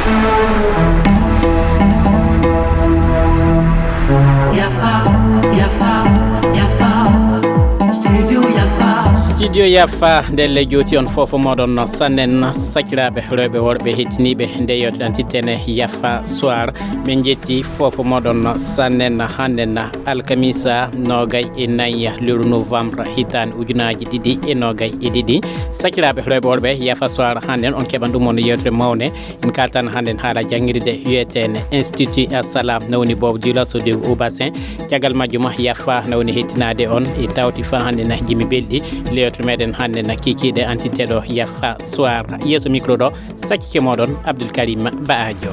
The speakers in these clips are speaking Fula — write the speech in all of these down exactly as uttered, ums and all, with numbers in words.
Yafa, yafa, yafa. Studio yafa. Studio yafa, ndelle jooti on fof moɗon sannen, sakiraaɓe rewɓe worɓe hettiniiɓe nde yewtere antitene yafa soir. Min njetti fof moɗon sannen hannden alkamisa nogay e nayi lewru novembre hitaande ujunaaji ɗiɗi e nogay e ɗiɗi. Sakiraaɓe rewɓe worɓe yafa soir hannden on keɓan ɗum on yewtere mawne. En kaltan hannden haala janngirde wiyeteene Institut Assalam, na woni Bob Dioula so dew au bassin. Caggal majjuma yafa na woni hettinaade on e tawti fa hannden jimi belɗi. Lewtere meɗen hannden kikiiɗe antiteɗo yafa soir. Yeeso micro ɗo, sakkike moɗon Abdoul Karim Baajo.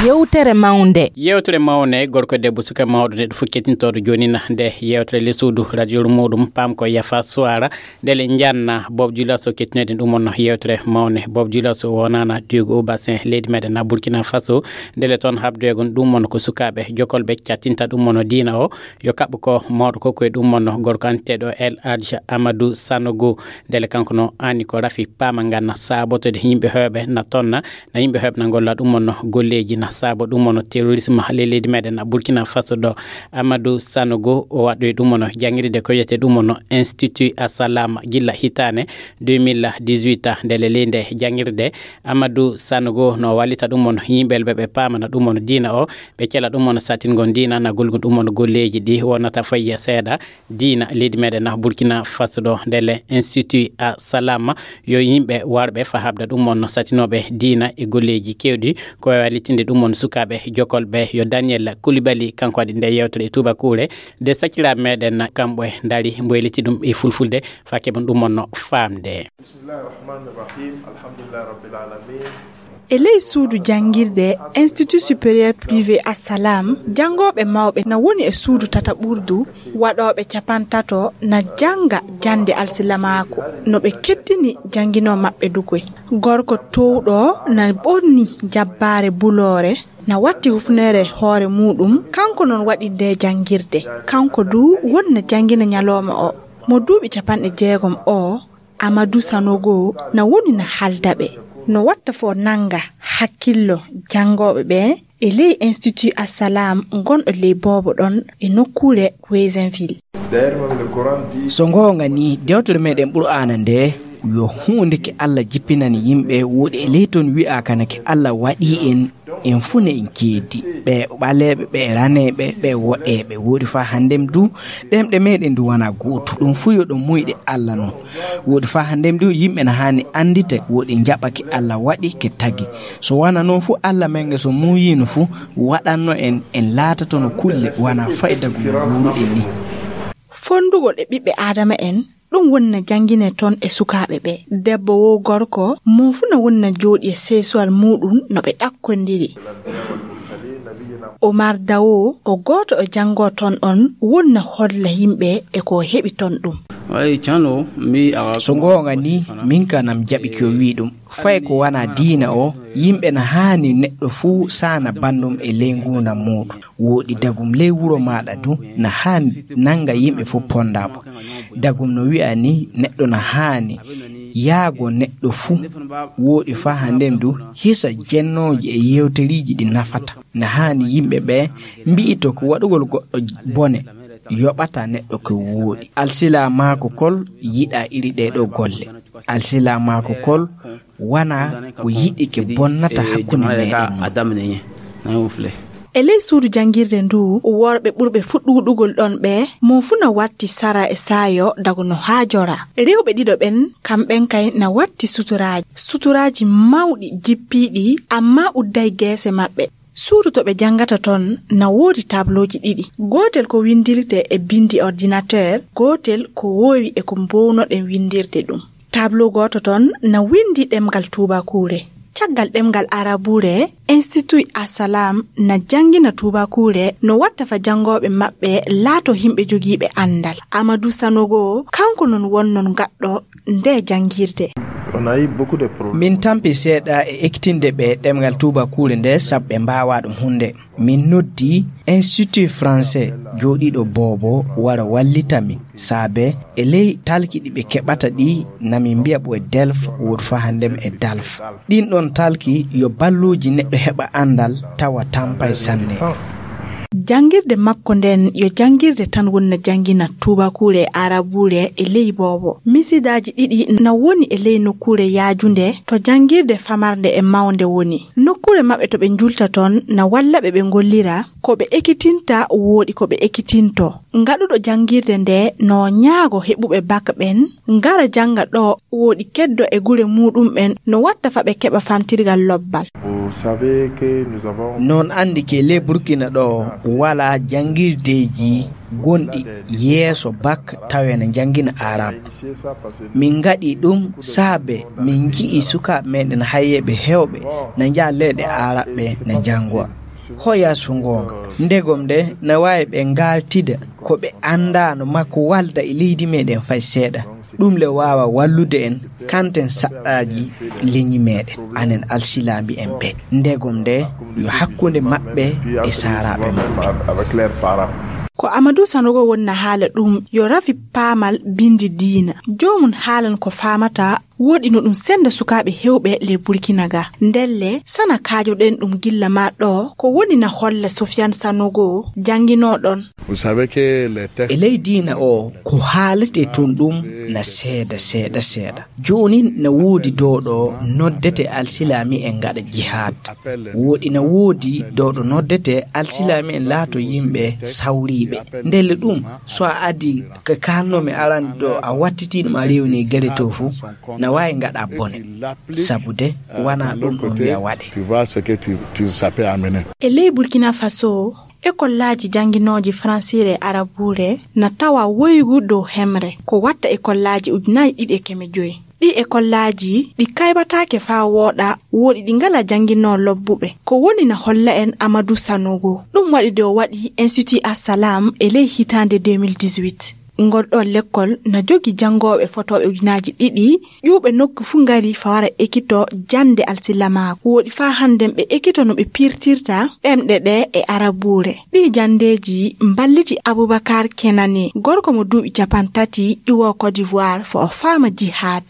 Yewtere mawnde. Yewtere mawnde, gorko, debbo, suka, mawɗo, neɗɗo fof kettintooɗo jooni na nde yewtere le suudu radio muɗum pam ko yafa soir. Ndele njanna Bob Dioula so kettinoɗen ɗum on yewtere mawne. Bob Dioula so wonana Diego au bassin leydi meɗen na Burkina Faso. Ndele toon habdoygon ɗum on ko sukaaɓe jokolɓe cattinta ɗum on diina o. Yo kaɓɓo ko mawɗo ko koye ɗum on gorko anteɗo El Hadj Amadou Sanogo. Ndele kanko no ani ko rafi paama nganna saabotode yimɓe heewɓe na tonna, na yimɓe heewɓe na ngolla ɗum on golleeji na saabo ɗum on terrorisme le leydi meɗen na Burkina Faso ɗo. Amadou Sanogo o waɗɗoyi ɗum on janngirde ko wiyete ɗum on Institut Assalam gilla hitaane deux mille dix-huit. Ndele ley nde janngirde Amadou Sanogo no wallita ɗum on yimɓe ɓe ɓe paamana ɗum on diina o, ɓe cela ɗum on satingol diina na golgol ɗum on golleeji ɗi wonata fayya seeɗa diina leydi meɗen na Burkina Faso ɗo. Ndele Institut Assalam yo yimɓe warɓe fa habda ɗum on satinooɓe diina e golleeji kewɗi ko wallitinde ɗum on sukaaɓe jokolɓe. Yo Daniel Coulibaly kanko waɗi nde yewtere e tubakuure, nde sakiraaɓe meɗen kamɓe ndari mboyliti ɗum e fulfulde fa keɓen ɗum on faamde. Bismillahir Rahmanir Rahim. Alhamdulillahi Rabbil Alamin. E ley suudu janngirde Institut Supérieur Privé Assalam, janngooɓe mawɓe na woni e suudu tataɓurdu, waɗooɓe capantato na jannga jannde alsilamaaku, no ɓe kettini jannginoo maɓɓe dukoy. Gorko toowɗo na ɓorni jabbaare buloore, na watti hufneere hoore muuɗum, kanko noon waɗi nde janngirde. Kanko du won na janngina ñalooma o. Mo duuɓi capanɗe jeegom o, Amadou Sanogo na woni na haalda ɓe, no watta fof nannga hakkillo janngooɓe ɓe e ley Institut Assalam ngonɗo ley boobo ɗon e nokkuure Kouézinville. So ngoonga ni, dewtere meɗen Qur'aana nde yo huunde ke Allah jippinani yimɓe, woɗi e ley toon wi'a kana ke Allah waɗi en, en fuu ne en keedi. Ɓe ɓaleeɓe, ɓe raneeɓe, ɓe woɗeeɓe, woɗi faa hanndem du, ɗemɗe meɗen du wana gootu. Ɗum fuu yo ɗum muyɗe Allah non. Woɗi faa hanndem du, yimɓe na haani anndita, woɗi njaɓake Allah waɗi ke tagi. So wana noon fuu, Allah men nge so muuyiino fuu, waɗanno en, en laatatono kulle wana fayda gum wuuruɗen ni. Fondugol e ɓiɓɓe Aadama en, ɗum woni na janngine toon e sukaaɓe ɓe. Debbo wo gorko, mo fuu na woni na jooɗi e seesuwal muuɗum no ɓe ɗakkondiri. Omar Dawo, o gooto e janngoo toon on, woni na holla yimɓe e ko o heɓi toon ɗum. Ay, cano, mi a So ngoonga ni, min kanam jaɓi ko wii ɗum. Fay ko wana diina o, yimɓe na haani neɗɗo fuu saana banndum e ley nguurndam muuɗum. Wooɗi dagum ley wuro maaɗa du, na haani nannga yimɓe fuu ponndaabo. Dagum no wi'a ni neɗɗo na haani yaago neɗɗo fuu. Wooɗi faa hannden du, hisa jennooji e yewteriiji ɗi nafata. Na haani yimɓe ɓe mbi'ito ko waɗugol goɗɗo bone yoɓata neɗɗo ko wooɗi. Alsilaamaaku kol yiɗa iri ɗee ɗoo golle. Alsilaamaaku kol wana ko yiɗi ke bonnata hakkunde meɗen non. E ley suudu janngirde ndu, worɓe ɓurɓe fuɗɗuɗugol ɗon ɓe, mo fuu na watti sara e saayo dago no haajora. Rewɓe ɗiɗo ɓen, kamɓen kay na watti suturaaji. Suturaaji mawɗi jippiiɗi, ammaa udday geese maɓɓe. Suudu to ɓe janngata ton na woodi tablooji ɗiɗi. Gootel ko winndirte e binndi ordinateur, gootel ko woowi e ko mbownoɗen winndirde ɗum. Tableau gooto ton na winndi ɗemngal tuubakuure. Caggal ɗemngal arabuure, Institut Assalam na janngina tuubakuure no watta fa janngooɓe maɓɓe laato yimɓe jogiiɓe anndal. Amadou Sanogo, kanko non wonnon gaɗɗo nde janngirde. Min tampi seeɗa e ekitinde ɓe ɗemngal tuubakuure nde, sabu ɓe mbaawaa ɗum huunde. Min noddi Institut Français jooɗiiɗo boobo wara wallita min, saabe e ley talki ɗi ɓe keɓata ɗi, na min mbiya ɓo e DELF, wood fa hanndem e DALF. Ɗin ɗon talki yo balluuji neɗɗo heɓa anndal tawa tampay sanne. Janngirde makko nden yo janngirde tan wonna janngina tuubakuure e arabuure e ley boobo. Misidaaji ɗiɗi na woni e ley nokkuure yaajunde to janngirde famarnde e mawnde woni. Nokkuure maɓɓe to ɓe njulta ton na walla ɓe ɓe ngollira ko ɓe ekitinta wooɗi ko ɓe ekitinto. Ngaɗuɗo janngirde nde no ñaago heɓuɓe bak ɓen ngara jannga ɗo wooɗi keddo e gure muuɗum ɓen no watta fa ɓe keɓa famtirgal lobbal. Non anndi ke le Burkina ɗo wala janngirdeeji gonɗi yeeso bak tawe na janngina arab. Min ngaɗi ɗum saabe min nji'i sukaaɓe meɗen hayyeɓe hewɓe na njaha leyɗe arabɓe na njanngowa. Hoya so ngoonga ndegom nde na waawi ɓe ngaaltida ko ɓe anndaano makko walda e leydi meɗen fay seeɗa. Ɗum le waawa wallude en kanten saɗɗaaji leñi meɗen anen alsilaami en ɓe ndegom nde yo hakkunde maɓɓe e saaraaɓe maɓɓe. Ko Amadou Sanogo wonna haala ɗum yo rafi paamal bindi diina. Joomum haalan ko faamata woɗino ɗum sennda sukaaɓe heewɓe le Burkina ga. Ndelle sana kaajoɗen ɗum gilla ma ɗo ko woni na holla Sofiane Sanogo jannginooɗon. E ley diina o ko haalete toon ɗum na seeɗa seeɗa seeɗa. Joonin na woodi dowɗo noddete alsilaami en ngaɗa jihaad. Woɗi na woodi dowɗo noddete alsilaami en laato yimɓe sawriiɓe. Ndelle ɗum so a adi ko kaalnoomi arande ɗo a wattiti ɗum a rewni gere to fu na waawi ngaɗa bone. Sabude wana ɗum ɗum wiya waɗe. E ley Burkina Faso, ekollaaji jannginooji faransiire e arabuure na tawa woygu dow hemre ko watta ekollaaji ujunaaji ɗiɗi e keme joyi. Ɗi ekollaaji ɗi kaybataake faa wooɗa woɗi ɗi ngala jannginoo lobbuɓe. Ko woni na holla en Amadou Sanogo. Ɗum waɗi de o waɗi Institut Assalam e ley hitaande deux mille dix-huit. Ngol ɗoo lekkol na jogi janngooɓe fotooɓe ujunaaji ɗiɗi ƴuuɓe nokku fuu ngari fa wara ekito jannde alsilamaaku. Woɗi faa hannden ɓe ekito no ɓe pirtirta ɗemɗe ɗe e arabuure. Ɗii janndeeji mballiti Abubakar Kenane, gorko mo duuɓi capantati ƴuwoo Côte d'Ivoire fo o faama jihaad.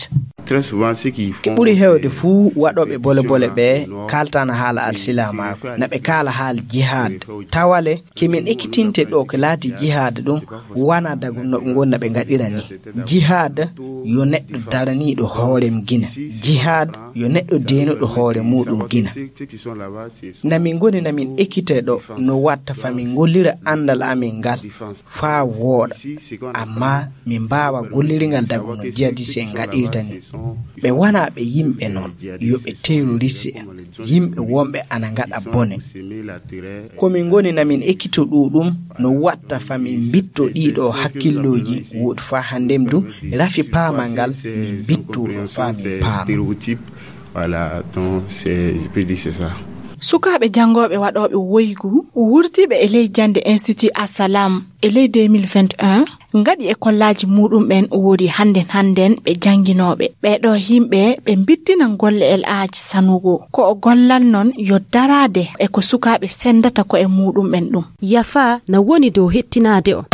Ɓuri heewde fuu waɗooɓe bole bole ɓe kaaltana haala alsilamaaku na ɓe kaala haala jihaad. Tawale ke min ekkitinte ɗo ko laati jihaad ɗum wana dagu no ɓe ngonna ɓe ngaɗira ni. Jihaad yo neɗɗo daraniiɗo hoorem gina. Jihaad yo neɗɗo deenuɗo hoore muuɗum gina. Na min ngoni na min ekkite ɗo no watta fa min ngollira anndal amin ngal faa wooɗa. Amma min mbaawa gollirgal dagu no jihadis en ngaɗirta ni. Ɓe wana ɓe yimɓe noon yo ɓe terroriste en. Yimɓe wonɓe ana ngaɗa bone. Ko min ngoni na min ekkito ɗuuɗum no watta fa min mbitto ɗiiɗo hakkillooji woɗi fa hanndem du rafi paamal ngal min mbitto ɗum fa min paama. Sukaaɓe janngooɓe waɗooɓe woygu wurtiiɓe e ley jannde Institut Assalam e ley deux mille vingt et un ngaɗi e kollaaji muuɗum ɓen woodi hannden hannden ɓe jannginooɓe. Ɓee ɗoo yimɓe ɓe mbittinan golle El Hadj Sanogo. Ko o gollan noon yo daraade e ko sukaaɓe senndata ko e muuɗum ɓen ɗum. Yafa na woni dow hettinaade on.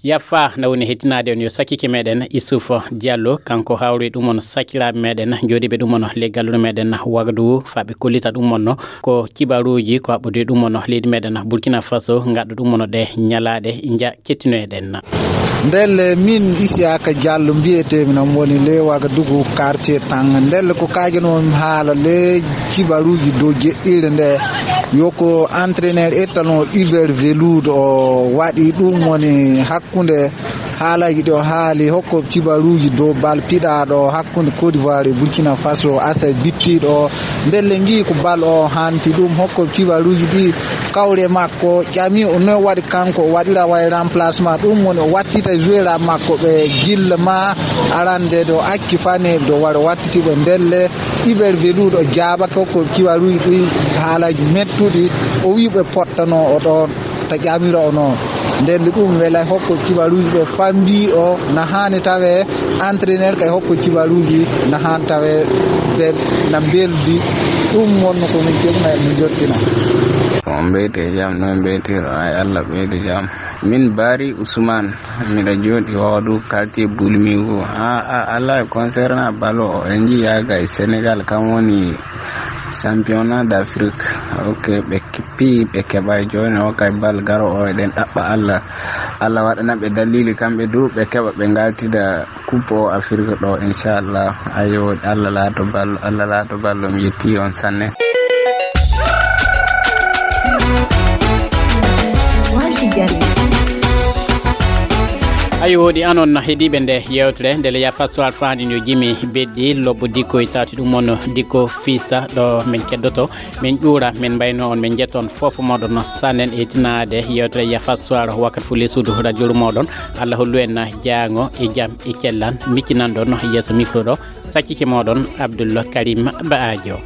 Yaffa na woni hettinaade on yo sakkike meɗen Issouf Diallo, kanko hawri ɗum on sakkiraaɓe meɗen jooɗiiɓe ɗum on ley gallure meɗen Wagadugu faa ɓe kollita ɗum on ko kibaruuji ko haɓɓude ɗum on leydi meɗen Burkina Faso ngaɗɗo ɗum on ɗe ñalaaɗe nja kettinoyeɗen. Ndelle min Isiyaka Diallo mbiyeteemi, nam woni ley Wagadugu quartier Tanga. Ndelle ko kaajanoomi haala ley kibaruuji dow jeɗɗiire nde yo ko entraîneur étalon Hubert Veloud o waɗi ɗum woni hakkunde Haalaaji ɗi o haali, hokko kibaruuji dow bal piɗaaɗo hakkunde Côte d'Ivoire e Burkina Faso, Asa bittiiɗo o. Ndelle ngi ko bal o hanti ɗum, hokko kibaruuji ɗi kawre makko ƴami o no waɗi kanko o waɗira way remplacement, ɗum woni o wattita joueur makko ɓe gilla ma arande do acci fane do wara wattiti ɓe. Ndelle Iber Veluɗo jaabake hokko kibaruuji ɗi haalaaji mettuɗi, o wi ɓe pottano o ɗon ta ƴamira o noon. Nden ɗum welay hokko kibaruuji ɓe fambi o na haani tawe entraîneur kay hokko kibaruuji na haani tawe ɓe na mbeldi. Ɗum wonno ko min keɓna e min jottina. On mbeyte jam, no mbeytiro ay Allah ɓeydu jam. Min Bari Usman, miɗa jooɗi Wawadu, quartier Bulmigu. A, a, Allah e concernant balo o, en njiyaga e Sénégal, kam woni championnat d'Afrique. Ok, ɓe kippi, ɓe keɓa jooni o kay bal garo o, eɗen ɗaɓɓa Allah. Allah waɗana ɓe dalili kamɓe du, ɓe keɓa ɓe ngaltida coupe o Afrique ɗo, inchallah. Ayo, Allah laato ballo, Allah laato ballo, mi yetti on sanne. Ayo, woɗi anon heɗiɓe nde yewtere, ndele ya fasso alfaani no jimi beddi lobbo dikko e tawti ɗum on dikko fisa ɗo min keddoto, min ƴuura, min mbayno on, min jetta on fof moɗon sannen e tinaade yewtere ya fasso ar wakkat fu lesudu radio moɗon. Allah hollu en jaango e jam e cellan, miccinan ɗon yeeso micro ɗo, saccike moɗon Abdoul Karim Baajo.